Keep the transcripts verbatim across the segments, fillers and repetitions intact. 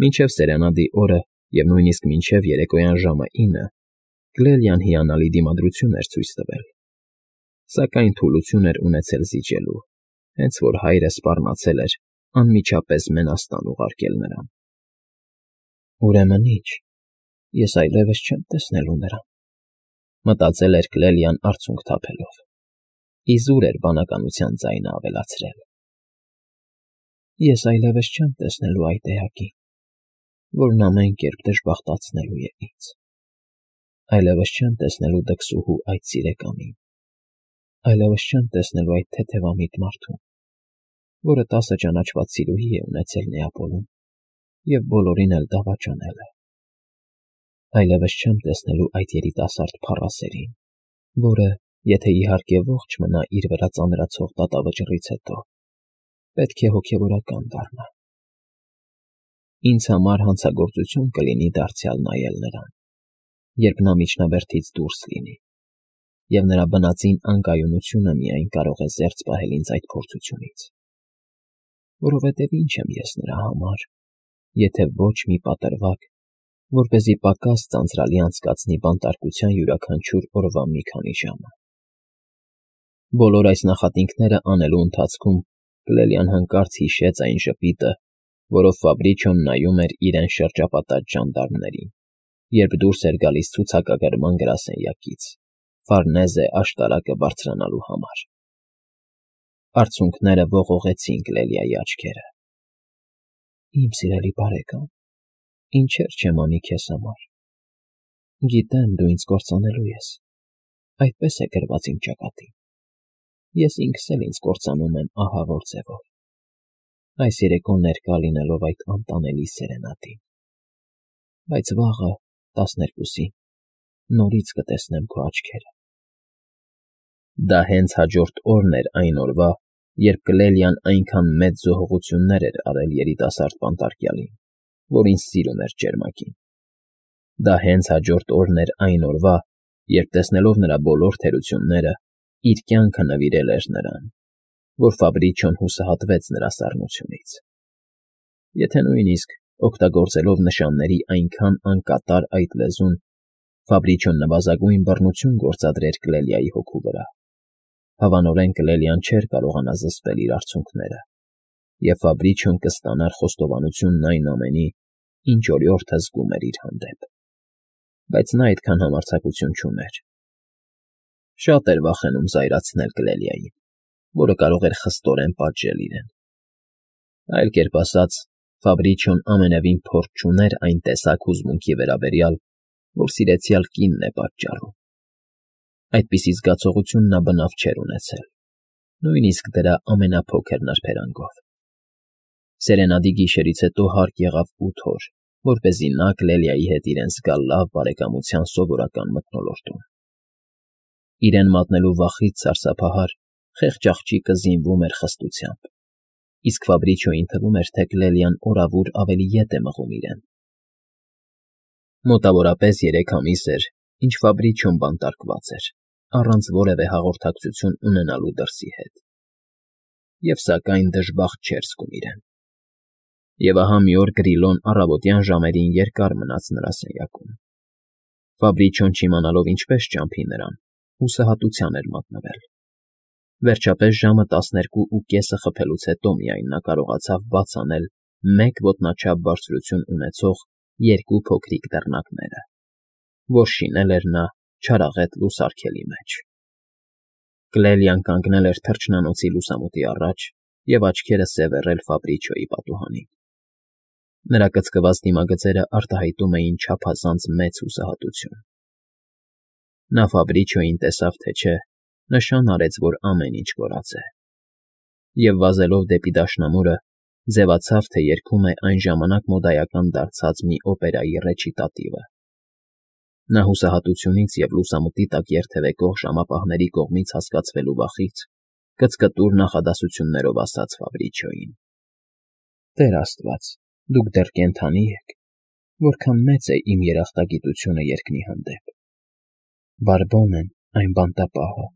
Մինչև սերանադի օրը և նույնիսկ մինչև երեկոյան ժամը ինը Կլելիան հիանալի դիմադրություն էր ցույց տվել, սակայն թուլություն էր ունեցել զիջելու, հենց որ հայրը սպառնացել էր անմիջապես մենաստան ուղարկել նրան։ «Ուրեմն ի՞նչ, ես այլևս չեմ տեսնելու նրան,֊ մտածել էր Կլելիան արցունք թափելով, իզուր էր բանականության ձայնը ավելացրել։֊ Ես այլևս չեմ տեսնելու այդ էակին, որն ամեն կերպ դժբախտացնելու է ինձ, այլևս չեմ տեսնելու դքսուհու այդ սիրեկանին, այլևս չեմ տեսնելու այդ թեթևամիտ մարդուն, որը տասը ճանաչված սիրուհի է ունեցել Նեապոլում և բոլորին էլ դավաճանել է, այլևս չեմ տեսնելու այդ երիտասարդ փառասերին, որը, եթե իհարկե ողջ մնա իր վրա ծանրացող դատավճռից հետո, պետք է հոգևորական դառնա։ Ինձ համար հանցագործություն կլինի դարձյալ նայել նրան, երբ նա միջնաբերդից դուրս լինի, և նրա բնածին անկայունությունը միայն կարող է զերծ պահել ինձ այդ փորձությունից, որովհետև ի՞նչ եմ ես նրա համար, եթե ոչ մի պատրվակ, որպեսզի պակաս ձանձրալի անցկացնի բանտարկության յուրաքանչյուր օրվա մի քանի ժամը։ Բոլոր այս նախատինքները անելու ընթացքում Կլելիան հանկարծ հիշեց այն ժպիտը, որով Ֆաբրիչոն նայում էր իրեն շրջապատած ժանդարմներին, երբ դուրս էր գալիս ցուցակագրման գրասենյակից, Ֆարնեզե աշտարակը բարձրանալու համար։ Արցունքները ողողեցին Կլելիայի աչքերը։ «Իմ սիրելի բարեկամ, ինչեր չեմ անի քեզ համար… Գիտեմ, դու ինձ կործանելու ես, այդպես է գրված իմ ճակատին, ես ինքս էլ ինձ կործանում եմ ահավոր ձևով, այս երեկո ներկա լինելով այդ անտանելի սերենադին, բայց վաղը, տասներկուսին, նորից կտեսնեմ քո աչքերը»։ Դա հենց հաջորդ օրն էր այն օրվա, երբ Կլելիան այնքան մեծ զոհողություններ էր արել երիտասարդ բանտարկյալին, որին սիրում էր ճերմակին։ Դա հենց հաջորդ օրն էր այն օրվա, երբ տեսնելով նրա բոլոր թերությունները, իր կյանքը նվիրել էր նրան, որ Ֆաբրիչոն հուսահատվեց նրա սառնությունից։ Եթե նույնիսկ, օգտագործելով նշանների այնքան անկատար այդ լեզուն, Ֆաբրիչոն նվազագույն բռնություն գործադրեր Կլելիայի հոգու վրա, հավանորեն Կլելիան չէր կարողանա զսպել իր արցունքները, և Ֆաբրիչոն կստանար խոստովանությունն այն ամենի, ինչ օրիորդը զգում էր իր հանդեպ։ Բայց նա այդքան համարձակություն չուներ։ Շատ էր վախենում զայրացնել Կլելիային, որը կարող էր խստորեն պատժել իրեն։ Այլ կերպ ասած, Ֆաբրիչոն ամենևին փորձ չուներ այն տեսակ հուզմունքի վերաբերյալ, որ սիրեցյալ կինն է պատճառում։ Այդպիսի զգացողություն նա բնավ չէր ունեցել, նույնիսկ դրա ամենափոքր նրբերանգով։ Սերենադի գիշերից հետո հարկ եղավ ութ օր, որպեսզի նա Կլելիայի հետ իրեն զգա լավ բարեկամության սովորական մթնոլորտում։ Իրեն մատնելու վախից սարսափահար, խեղճ աղջիկը զինվում էր խստությամբ, իսկ Ֆաբրիչոյին թվում էր, թե Կլելիան օրավուր ավելի ետ է մղում իրեն։ Մոտավորապես երեք ամիս էր, ինչ Ֆաբրիչոն բանտարկված էր, առանց որևէ հաղորդակցություն ունենալու դրսի հետ, և սակայն դժբախտ չէր զգում իրեն։ Եվ ահա մի օր Գրիլոն առավոտյան ժամերին երկար մնաց նրա սենյակում։ Ֆաբրիչոն չիմանալով ինչպես ճամփի նրան, հուսահատության էր մատնվել։ Վերջապես ժամը տասներկու ու կեսը խփելուց հետո միայն նա կարողացավ բաց անել մեկ ոտնաչափ բարձրություն ունեցող երկու փոքրիկ դռնակները, որ շինել էր նա չարաղետ լուսարգելի մեջ։ Կլելիան կանգնել էր թռչնանոցի լուսամուտի առաջ և աչքերը սևեռել Ֆաբրիչոյի պատուհանին։ Նրա կծկված դիմագծերը արտահայտում էին չափազանց մեծ հուսահատություն։ Նա Ֆաբրիչոյին տեսավ թե չէ, նշան արեց, որ ամեն ինչ կորած է, և վազելով դեպի դաշնամուրը, ձևացավ, թե երգում է այն ժամանակ մոդայական դարձած մի օպերայի ռեչիտատիվը։ Նա հուսահատությունից և լուսամուտի տակ երթևեկող ժամապահների կողմից հասկացվելու վախից կծկտուր նախադասություններով ասաց Ֆաբրիչոյին. «Տեր աստված, դուք դեռ կենդանի եք, որքան մեծ է իմ երախտագիտությունը երկնի հանդեպ։ Բարբոն եմ այն բանտապահը,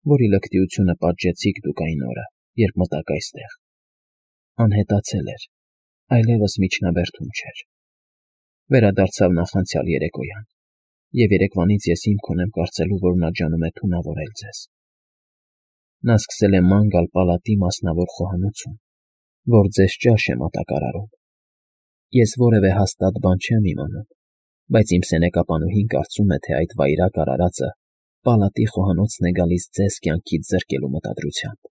որի լկտիությունը պատժեցիք դուք այն օրը, երբ մտաք այստեղ։ Անհետացել էր, այլևս միջնաբերդում չէր։ Վերադարձավ նախանցյալ երեկոյան, և երեկվանից ես հիմք ունեմ կարծելու, որ նա ջանում է թունավորել ձեզ։ Նա սկսել է ման գալ պալատի մասնավոր խոհանոցում, որ ձեզ ճաշ է մատակարարում։ Ես որևէ հաստատ բան չեմ իմանում, բայց իմ սենեկապանուհին կարծում է, թե այդ վայրագ արարածը պալատի խոհանոցն է գալիս ձեզ կյանքից զրկելու մտադրությամբ։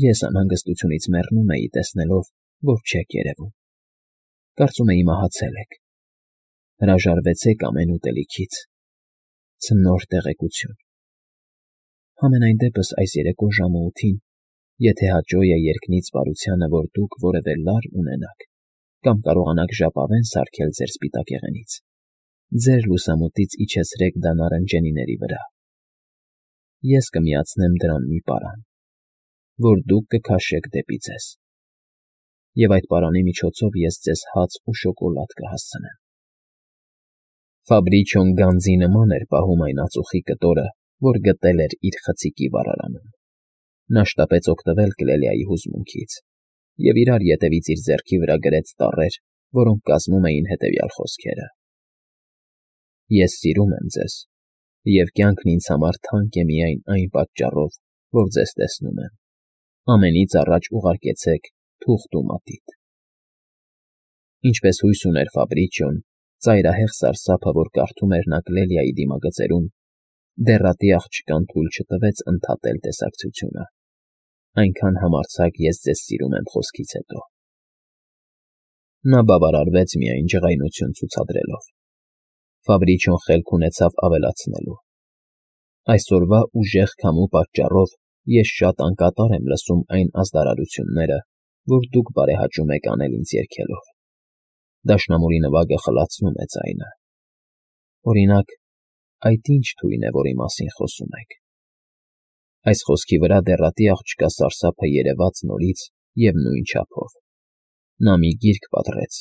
Ես անհանգստությունից մեռնում էի, տեսնելով, որ չեք երևում։ Կարծում էի մահացել եք։ Հրաժարվեցեք ամեն ուտելիքից։ Ցնոր տեղեկություն։ Համենայն դեպս այս երեկո ժամը ութին, եթե հաճո է երկնից բարությանը, որ դուք որևէ լար ունենաք կամ կարողանաք ժապավեն սարքել ձեր սպիտակեղենից, ձեր լուսամուտից իջեցրեք դա նարնջենիների վրա։ Ես կմիացնեմ դրան մի պարան, որ դուք կքաշեք դեպի ձեզ, և այդ պարանի միջոցով ես ձեզ հաց ու շոկոլադ կհասցնեմ։ Ֆաբրիչոն գանձի նման էր պահում այն ածուխի կտորը, որ գտել էր իր խցիկի վառարանում։ Նա շտապեց օգտվել Կլելիայի հուզմունքից և իրար ետևից իր ձեռքի վրա գրեց տառեր, որոնք կազմում էին հետևյալ խոսքերը. Ես սիրում եմ ձեզ, և կյանքն ինձ համար թանկ է միայն այն պատճառով, որ ձեզ տեսնում եմ։ Ամենից առաջ ուղարկեցեք թուղթ ու մատիտ։ Ինչպես հույս ուներ Ֆաբրիչոն, ծայրահեղ սարսափը, որ կարդում էր նա Կլելիայի դիմագծերում, դեռատի աղջկան թույլ չտվեց ընդհատել տեսակցությունը։ Այնքան համարձակ ես ձեզ սիրում եմ խոսքից հետո։ Նա բավարարվեց միայն ջղայնություն ցուցադրելով։ Ֆաբրիչոն խելք ունեցավ ավելացնելու. Այսօրվա ուժեղ քամու պատճառով ես շատ անկատար եմ լսում այն ազդարարությունները, որ դուք բարեհաճում եք անել ինձ երգելով։ Դաշնամուրի նվագը խլացնում է ձայնը։ Օրինակ, այդ ի՞նչ թույն է, որի մասին խոսում եք։ Այս խոսքի վրա դեռատի աղջկա սարսափը երևաց նորից և նույն չափով։ Նա մի գիրք պատռեց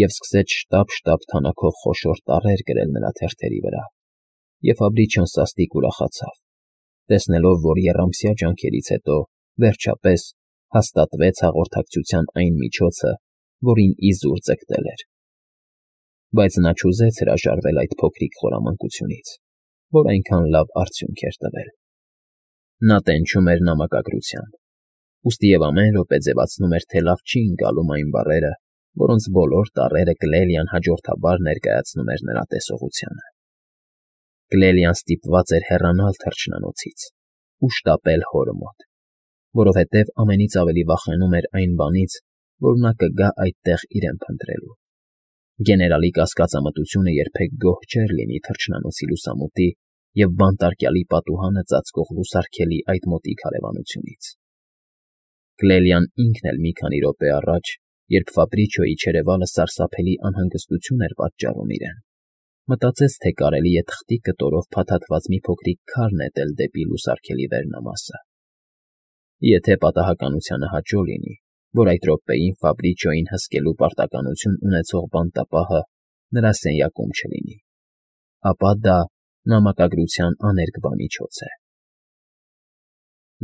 և սկսեց շտապ֊շտապ թանաքով խոշոր տառեր գրել նրա թերթերի վրա, և Ֆաբրիչոն սաստիկ ուրախացավ, տեսնելով, որ եռամսյա ջանքերից հետո, վերջապես, հաստատվեց հաղորդակցության այն միջոցը, որին իզուր ձգտել էր։ Բայց նա չուզեց հրաժարվել այդ փոքրիկ խորամանկությունից, որ այնքան լավ արդյունք էր տվել։ Նա տենչում էր նամակագրությամբ, ուստի և ամեն րոպե ձևացնում էր, թե լավ չի ընկալում այն բառերը, որոնց բոլոր տառերը Կլելիան հաջորդաբար ներկայացնում էր նրա տեսողությանը։ Կլելիան ստիպված էր հեռանալ թռչնանոցից ու շտապել հորը մոտ, որովհետև ամենից ավելի վախենում էր այն բանից, որ նա կգա այդտեղ իրեն փնտրելու։ Գեներալի կասկածամտությունը երբեք գոհ չէր լինի թռչնանոցի լուսամուտի և բանտարկյալի պատուհանը ծածկող լուսարգելի այդ մոտիկ հարևանությունից։ Կլելիան ինքն էլ մի քանի րոպե առաջ, երբ Ֆաբրիչոյի չերևալը սարսափելի անհանգստություն էր պատճառում իրեն, մտածեց, թե կարելի է թղթի կտորով փաթաթված մի փոքրիկ քար նետել դեպի լուսարգելի վերնամասը։ Եթե պատահականությանը հաճո լինի, որ այդ րոպեին Ֆաբրիչոյին հսկելու պարտականություն ունեցող բանտապահը նրա սենյակում չլինի, ապա դա նամակագրության աներկբա միջոց է։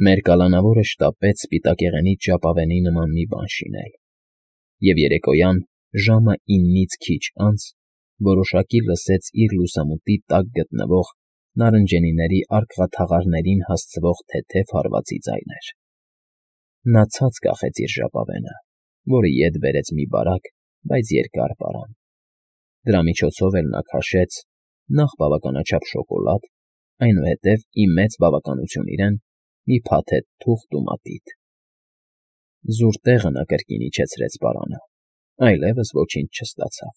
Մեր կալանավորը շտապեց սպիտակեղենից ժապավենի նման մի բան շինել, և երեկոյան ժամը իննից քիչ անց որոշակի լսեց իր լուսամուտի տակ գտնվող նարնջենիների արկղաթաղարներին հասցվող թեթև հարվածի ձայներ։ Նա ցած կախեց իր ժապավենը, որը ետ բերեց մի բարակ, բայց երկար պարան։ Դրա միջոցով էլ նա քաշեց նախ բավականաչափ շոկոլադ, այնուհետև, ի մեծ բավականություն իրեն, մի փաթեթ թուղթ ու մատիտ։ Զուր տեղը նա կրկին իջեցրեց պարանը, այլևս ոչինչ չստացավ։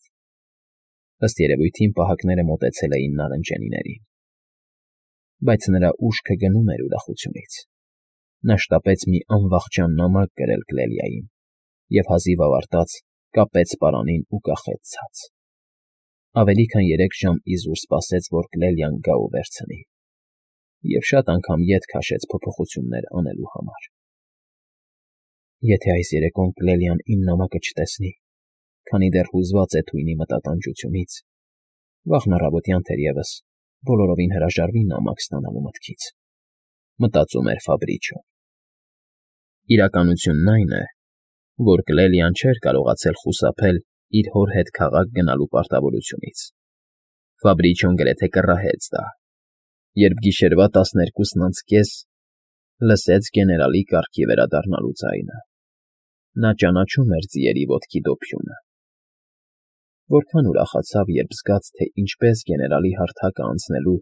Ըստ երևույթին պահակները մոտեցել էին նարնջենիներին։ Բայց նրա ուշքը գնում էր ուրախությունից։ Նա շտապեց մի անվախճան նամակ գրել Կլելիային և հազիվ ավարտած կապեց պարանին ու կախեց ցած։ Ավելի քան երեք ժամ իզուր սպասեց, որ Կլելիան գա ու վերցնի, և շատ անգամ ետ քաշեց փոփոխություններ անելու համար։ Եթե այս երեկոն Կլելիան իմ նամակը չտեսնի, քանի դեռ հուզված է թույնի մտատանջությունից, վաղն առավոտյան թերևս բոլորովին հրաժարվի նամակ ստանալու մտքից, մտածում էր Ֆաբրիչոն։ Իրականությունն այն է, որ Կլելիան չէր կարողացել խուսափել իր հոր հետ քաղաք գնալու պարտավորությունից. Ֆաբրիչոն գրեթե կռահեց դա, երբ գիշերվա տասներկուսն անց կես լսեց գեներալի կառքի վերադառնալու ձայնը. նա ճանաչում էր ձիերի ոտքի դոփյունը։ Որքան ուրախացավ, երբ զգաց, թե ինչպես գեներալի հարթակը անցնելու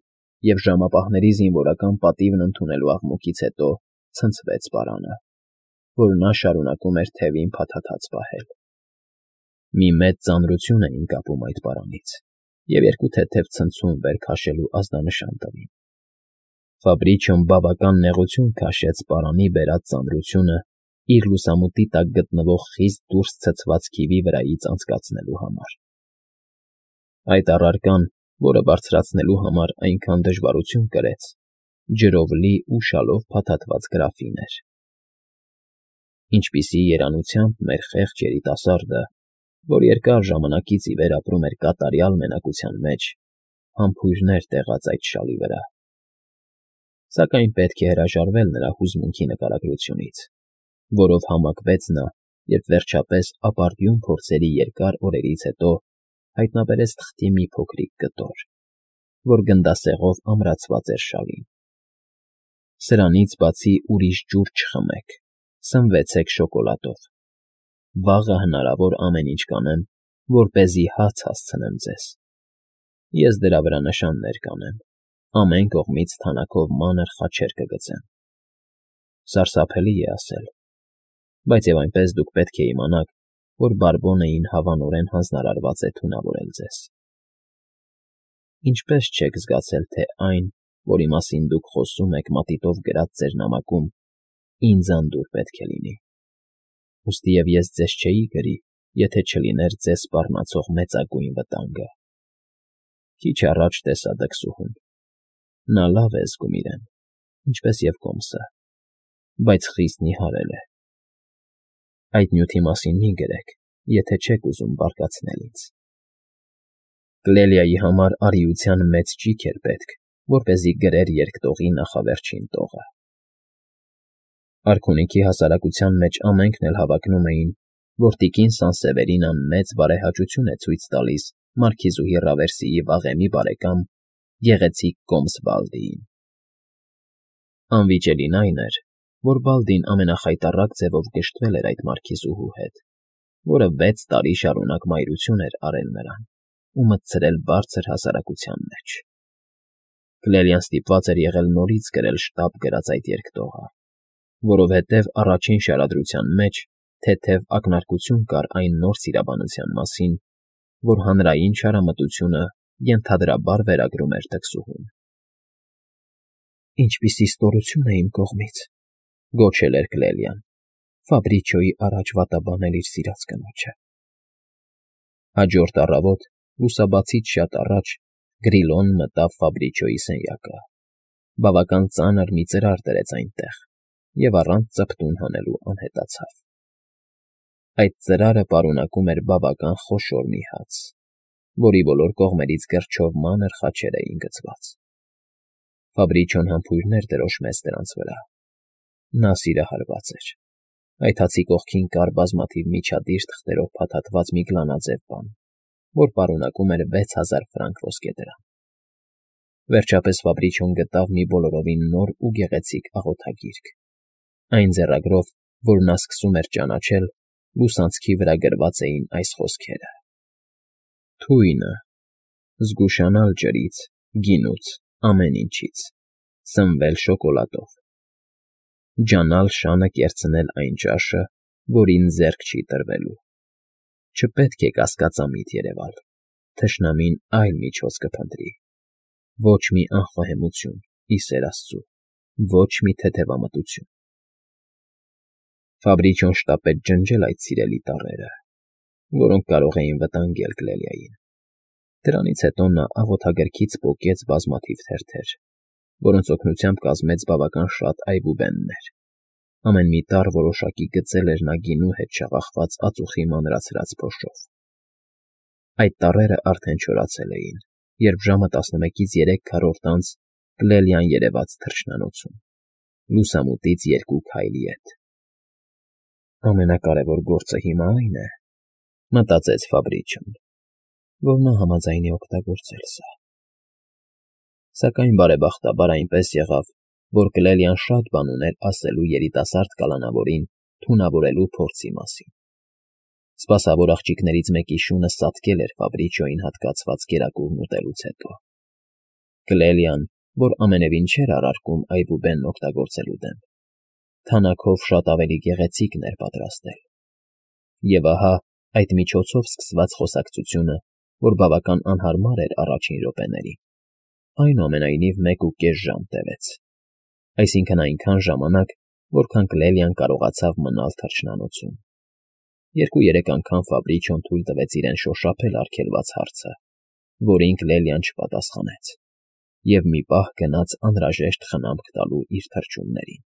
և ժամապահների զինվորական պատիվն ընդունելու աղմուկից հետո ցնցվեց պարանը, որ նա շարունակում էր թևին փաթաթած պահել։ Մի մեծ ծանրություն էին կապում այդ պարանից, և երկու թեթև ցնցում վեր քաշելու ազդանշան տվին։ Ֆաբրիչոն բավական նեղություն քաշեց պարանի բերած ծանրությունը իր լուսամուտի տակ գտնվող խիստ դուրս ցցված քիվի վրայից անցկացնելու համար։ Այդ առարկան, որը բարձրացնելու համար այնքան դժվարություն կրեց, ջրով լի ու շալով փաթաթված գրաֆին էր։ Ինչպիսի երանությամբ մեր խեղճ երիտասարդը, որ երկար ժամանակից ի վեր ապրում էր կատարյալ մենակության մեջ, համբույրներ տեղաց այդ շալի վրա։ Սակայն պետք է հրաժարվել նրա հուզմունքի նկարագրությունից, որով համակվեց նա, երբ վերջապես ապարդյուն փորձերի երկար օրերից հետո հայտնաբերեց թղթի մի փոքրիկ կտոր, որ գնդասեղով ամրացված էր շալին։ Սրանից բացի ուրիշ ջուր չխմեք, սնվեցեք շոկոլադով։ Վաղը հնարավոր ամեն ինչ կանեմ, որպեսզի հաց հասցնեմ ձեզ։ Ես դրա վրա նշաններ կանեմ, ամեն կողմից թանաքով մանր խաչեր կգծեմ։ Սարսափելի է ասել, բայց և այնպես դուք պետք է իմանաք, որ Բարբոննեին հավանորեն հանձնարարված է թունավորել ձեզ։ Ինչպե՞ս չեք զգացել, թե այն, որի մասին դուք խոսում եք մատիտով գրած ձեր նամակում, ինձ անդուր պետք է լինի։ Ուստի և ես ձեզ չէի գրի, եթե չլիներ ձեզ սպառնացող մեծագույն վտանգը։ Քիչ առաջ տեսա դքսուհուն։ Նա լավ է զգում իրեն, ինչպես և կոմսը, բայց խիստ նիհարել է։ Այդ նյութի մասին մի գրեք, եթե չեք ուզում բարկացնել ինձ։ Կլելիայի համար արիության մեծ ճիգ էր պետք, որպեսզի գրեր երկտողի նախավերջին տողը։ Արքունիքի հասարակության մեջ ամենքն էլ հավակնում էին, որ տիկին Սանսևերինան մեծ բարեհաճություն է ցույց տալիս մարքիզուհի Ռավերսիի վաղեմի բարեկամ, գեղեցիկ կոմս Բալդիին։ Անվիճելին այն էր, որ Բալդին ամենախայտառակ ձևով գժտվել էր այդ մարքիզուհու հետ, որը վեց տարի շարունակ մայրություն էր արել նրան ու մտցրել բարձր հասարակության մեջ։ Կլելիան ստիպված էր եղել նորից գրել շտապ գրած այդ երկտողը, որովհետև առաջին շարադրության մեջ թեթև ակնարկություն կար այն նոր սիրաբանության մասին, որ հանրային չարամտությունը ենթադրաբար վերագրում էր դքսուհուն։ «Ինչպիսի ստորություն է իմ կողմից,֊ գոչել էր Կլելիան,֊ Ֆաբրիչոյի առաջ վատաբանել իր սիրած կնոջը»։ Հաջորդ առավոտ, լուսաբացից շատ առաջ, Գրիլոն մտավ Ֆաբրիչոյի սենյակը, բավական ծանր մի ծրար դրեց այնտեղ և առանց ծպտուն հանելու անհետացավ։ Այդ ծրարը պարունակում էր բավական խոշոր մի հաց, որի բոլոր կողմերից գրչով մանր խաչեր էին գծված։ Ֆաբրիչոն համբույրներ դրոշմեց դրանց վրա։ Նա սիրահարված էր։ Այդ հացի կողքին կար բազմաթիվ միջադիր թղթերով փաթաթված մի գլանաձև բան, որ պարունակում էր վեց հազար ֆրանկ ոսկեդրամ։ Վերջապես Ֆաբրիչոն գտավ մի բոլորովին նոր ու գեղեցիկ աղոթագիրք։ Այն ձեռագրով, որ նա սկսում էր ճանաչել, լուսանցքի վրա գրված էին այս խոսքերը. Թույնը, զգուշանալ ջրից, գինուց, ամեն ինչից, սնվել շոկոլադով, ջանալ շանը կերցնել այն ճաշը, որին ձեռք չի տրվելու, չպետք է կասկածամիտ երևալ, թշնամին այլ միջոց կփնտրի, ոչ մի անխոհեմություն, ի սեր Աստծու, ոչ մի թեթևամտություն։ Ֆաբրիչոն շտապեց ջնջել այդ սիրելի տառերը, որոնք կարող էին վտանգել Կլելիային։ Դրանից հետո նա աղոթագրքից պոկեց բազմաթիվ թերթեր, որոնց օգնությամբ կազմեց բավական շատ այբուբեններ։ Ամեն մի տառ որոշակի գծել էր նա գինու հետ շաղախված ածուխի մանրացրած փոշով։ Այդ տառերը արդեն չորացել էին, երբ ժամը տասնմեկից երեք քառորդ անց Կլելիան երևաց թռչնանոցում, լուսամուտից երկու քայլի ետ։ Ամենակարևոր գործը հիմա այն է, մտածեց Ֆաբրիչոն, որ նա համաձայնի օգտագործել սա։ Սակայն բարեբախտաբար այնպես եղավ, որ Կլելիան շատ բան ուներ ասելու երիտասարդ կալանավորին թունավորելու փորձի մասին։ Սպասավոր աղջիկներից մեկի շունը սատկել էր Ֆաբրիչոյին հատկացված կերակուրն ուտելուց հետո։ Կլելիան, որ ամենևին չէր առարկում այբուբենն օգտագործելու դեմ, թանաքով շատ ավելի գեղեցիկն էր պատրաստել։ Եվ ահա այդ միջոցով սկսված խոսակցությունը, որ բավական անհարմար էր առաջին րոպեներին, այնուամենայնիվ մեկ ու կես ժամ տևեց, այսինքն՝ այնքան ժամանակ, որքան Կլելիան կարողացավ մնալ թռչնանոցում։ Երկու֊երեք անգամ Ֆաբրիչոն թույլ տվեց իրեն շոշափել արգելված հարցը, որին Կլելիան չպատասխանեց, և մի պահ գնաց անհրաժեշտ խնամք տալու իր թռչուններին։